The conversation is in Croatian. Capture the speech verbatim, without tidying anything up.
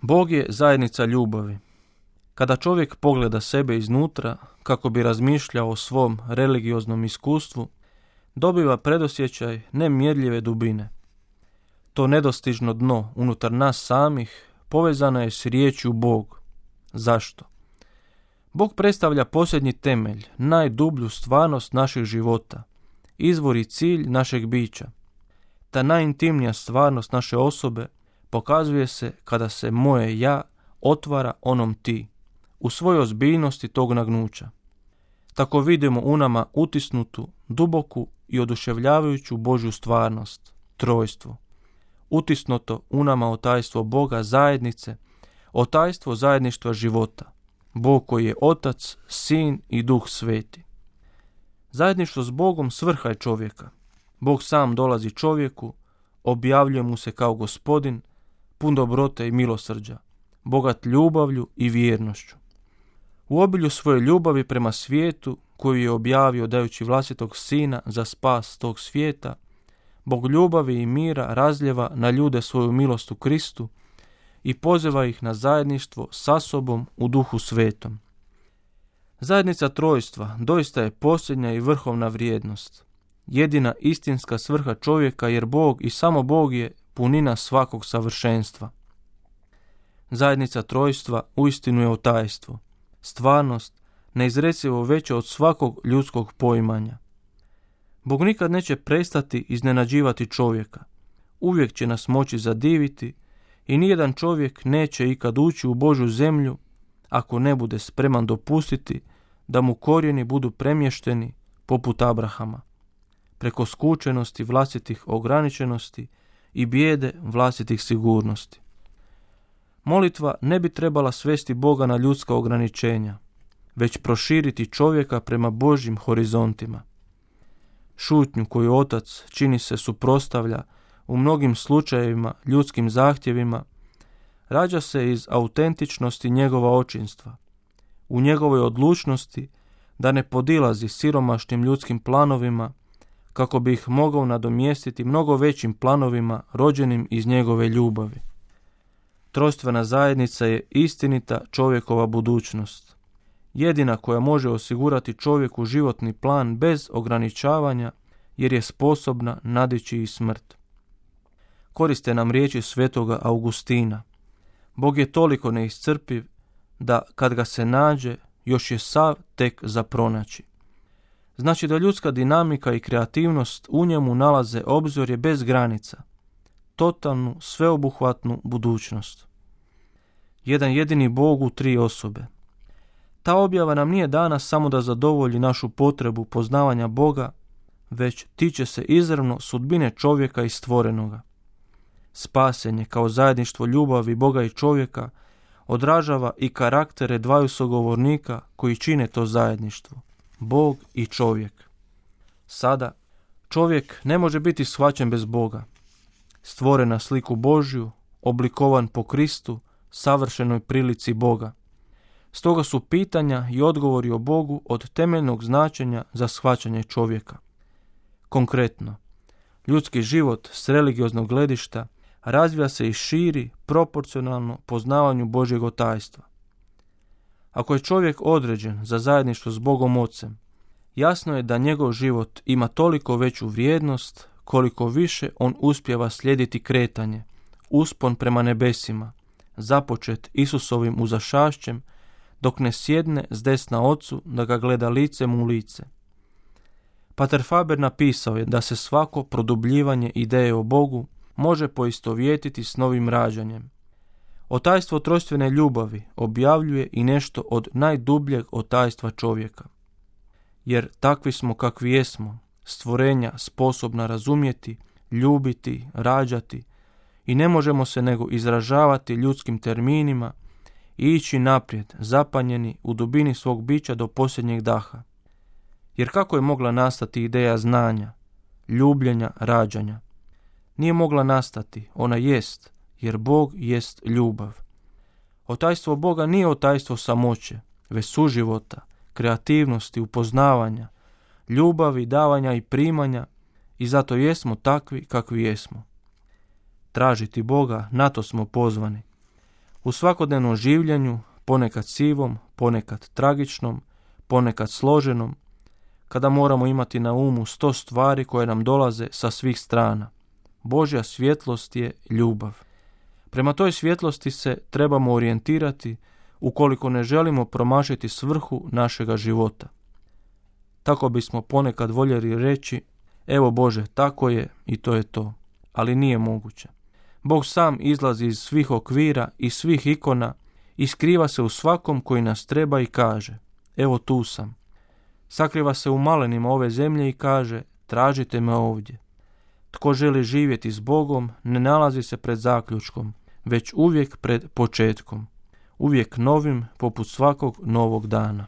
Bog je zajednica ljubavi. Kada čovjek pogleda sebe iznutra, kako bi razmišljao o svom religioznom iskustvu, dobiva predosjećaj nemjerljive dubine. To nedostižno dno unutar nas samih povezano je s riječju Bog. Zašto? Bog predstavlja posljednji temelj, najdublju stvarnost našeg života, izvor i cilj našeg bića. Ta najintimnija stvarnost naše osobe pokazuje se kada se moje ja otvara onom ti, u svojoj ozbiljnosti tog nagnuća. Tako vidimo u nama utisnutu, duboku i oduševljavajuću Božju stvarnost, trojstvo. Utisnuto u nama otajstvo Boga zajednice, otajstvo zajedništva života. Bog koji je Otac, Sin i Duh Sveti. Zajedništvo s Bogom svrha je čovjeka. Bog sam dolazi čovjeku, objavljuje mu se kao Gospodin, pun dobrote i milosrđa, bogat ljubavlju i vjernošću. U obilju svoje ljubavi prema svijetu, koju je objavio dajući vlastitog Sina za spas tog svijeta, Bog ljubavi i mira razljeva na ljude svoju milost u Kristu i poziva ih na zajedništvo sa sobom u Duhu Svetom. Zajednica trojstva doista je posljednja i vrhovna vrijednost, jedina istinska svrha čovjeka, jer Bog i samo Bog je punina svakog savršenstva. Zajednica trojstva uistinu je otajstvo, stvarnost neizrecivo veća od svakog ljudskog poimanja. Bog nikad neće prestati iznenađivati čovjeka, uvijek će nas moći zadiviti i nijedan čovjek neće ikad ući u Božju zemlju ako ne bude spreman dopustiti da mu korijeni budu premješteni poput Abrahama, preko skučenosti vlastitih ograničenosti i bijede vlastitih sigurnosti. Molitva ne bi trebala svesti Boga na ljudska ograničenja, već proširiti čovjeka prema Božjim horizontima. Šutnju koju Otac čini se suprotstavlja u mnogim slučajevima ljudskim zahtjevima, rađa se iz autentičnosti njegova očinstva, u njegovoj odlučnosti da ne podilazi siromašnim ljudskim planovima kako bi ih mogao nadomjestiti mnogo većim planovima rođenim iz njegove ljubavi. Trojstvena zajednica je istinita čovjekova budućnost, jedina koja može osigurati čovjeku životni plan bez ograničavanja, jer je sposobna nadići i smrt. Koriste nam riječi svetoga Augustina. Bog je toliko neiscrpiv da kad ga se nađe, još je sav tek za pronaći. Znači da ljudska dinamika i kreativnost u njemu nalaze obzorje bez granica, totalnu, sveobuhvatnu budućnost. Jedan jedini Bog u tri osobe. Ta objava nam nije dana samo da zadovolji našu potrebu poznavanja Boga, već tiče se izravno sudbine čovjeka i stvorenoga. Spasenje kao zajedništvo ljubavi Boga i čovjeka odražava i karaktere dvaju sugovornika koji čine to zajedništvo, Bog i čovjek. Sada, čovjek ne može biti shvaćen bez Boga. Stvoren na sliku Božju, oblikovan po Kristu, savršenoj prilici Boga. Stoga su pitanja i odgovori o Bogu od temeljnog značenja za shvaćanje čovjeka. Konkretno, ljudski život s religioznog gledišta razvija se i širi proporcionalno poznavanju Božjeg otajstva. Ako je čovjek određen za zajedništvo s Bogom Ocem, jasno je da njegov život ima toliko veću vrijednost koliko više on uspijeva slijediti kretanje, uspon prema nebesima, započet Isusovim uzašašćem, dok ne sjedne s desna Ocu da ga gleda licem u lice. Pater Faber napisao je da se svako produbljivanje ideje o Bogu može poistovjetiti s novim rađanjem. Otajstvo trojstvene ljubavi objavljuje i nešto od najdubljeg otajstva čovjeka. Jer takvi smo kakvi jesmo, stvorenja sposobna razumjeti, ljubiti, rađati i ne možemo se nego izražavati ljudskim terminima i ići naprijed, zapanjeni u dubini svog bića do posljednjeg daha. Jer kako je mogla nastati ideja znanja, ljubljenja, rađanja? Nije mogla nastati, ona jest, jer Bog jest ljubav. Otajstvo Boga nije otajstvo samoće, već suživota, kreativnosti, upoznavanja, ljubavi, davanja i primanja, i zato jesmo takvi kakvi jesmo. Tražiti Boga, na to smo pozvani. U svakodnevnom življenju, ponekad sivom, ponekad tragičnom, ponekad složenom, kada moramo imati na umu sto stvari koje nam dolaze sa svih strana. Božja svjetlost je ljubav. Prema toj svjetlosti se trebamo orijentirati ukoliko ne želimo promašiti svrhu našega života. Tako bismo ponekad voljeli reći, evo Bože, tako je i to je to, ali nije moguće. Bog sam izlazi iz svih okvira i svih ikona i skriva se u svakom koji nas treba i kaže, evo tu sam. Sakriva se u malenima ove zemlje i kaže, tražite me ovdje. Tko želi živjeti s Bogom, ne nalazi se pred zaključkom, već uvijek pred početkom. Uvijek novim, poput svakog novog dana.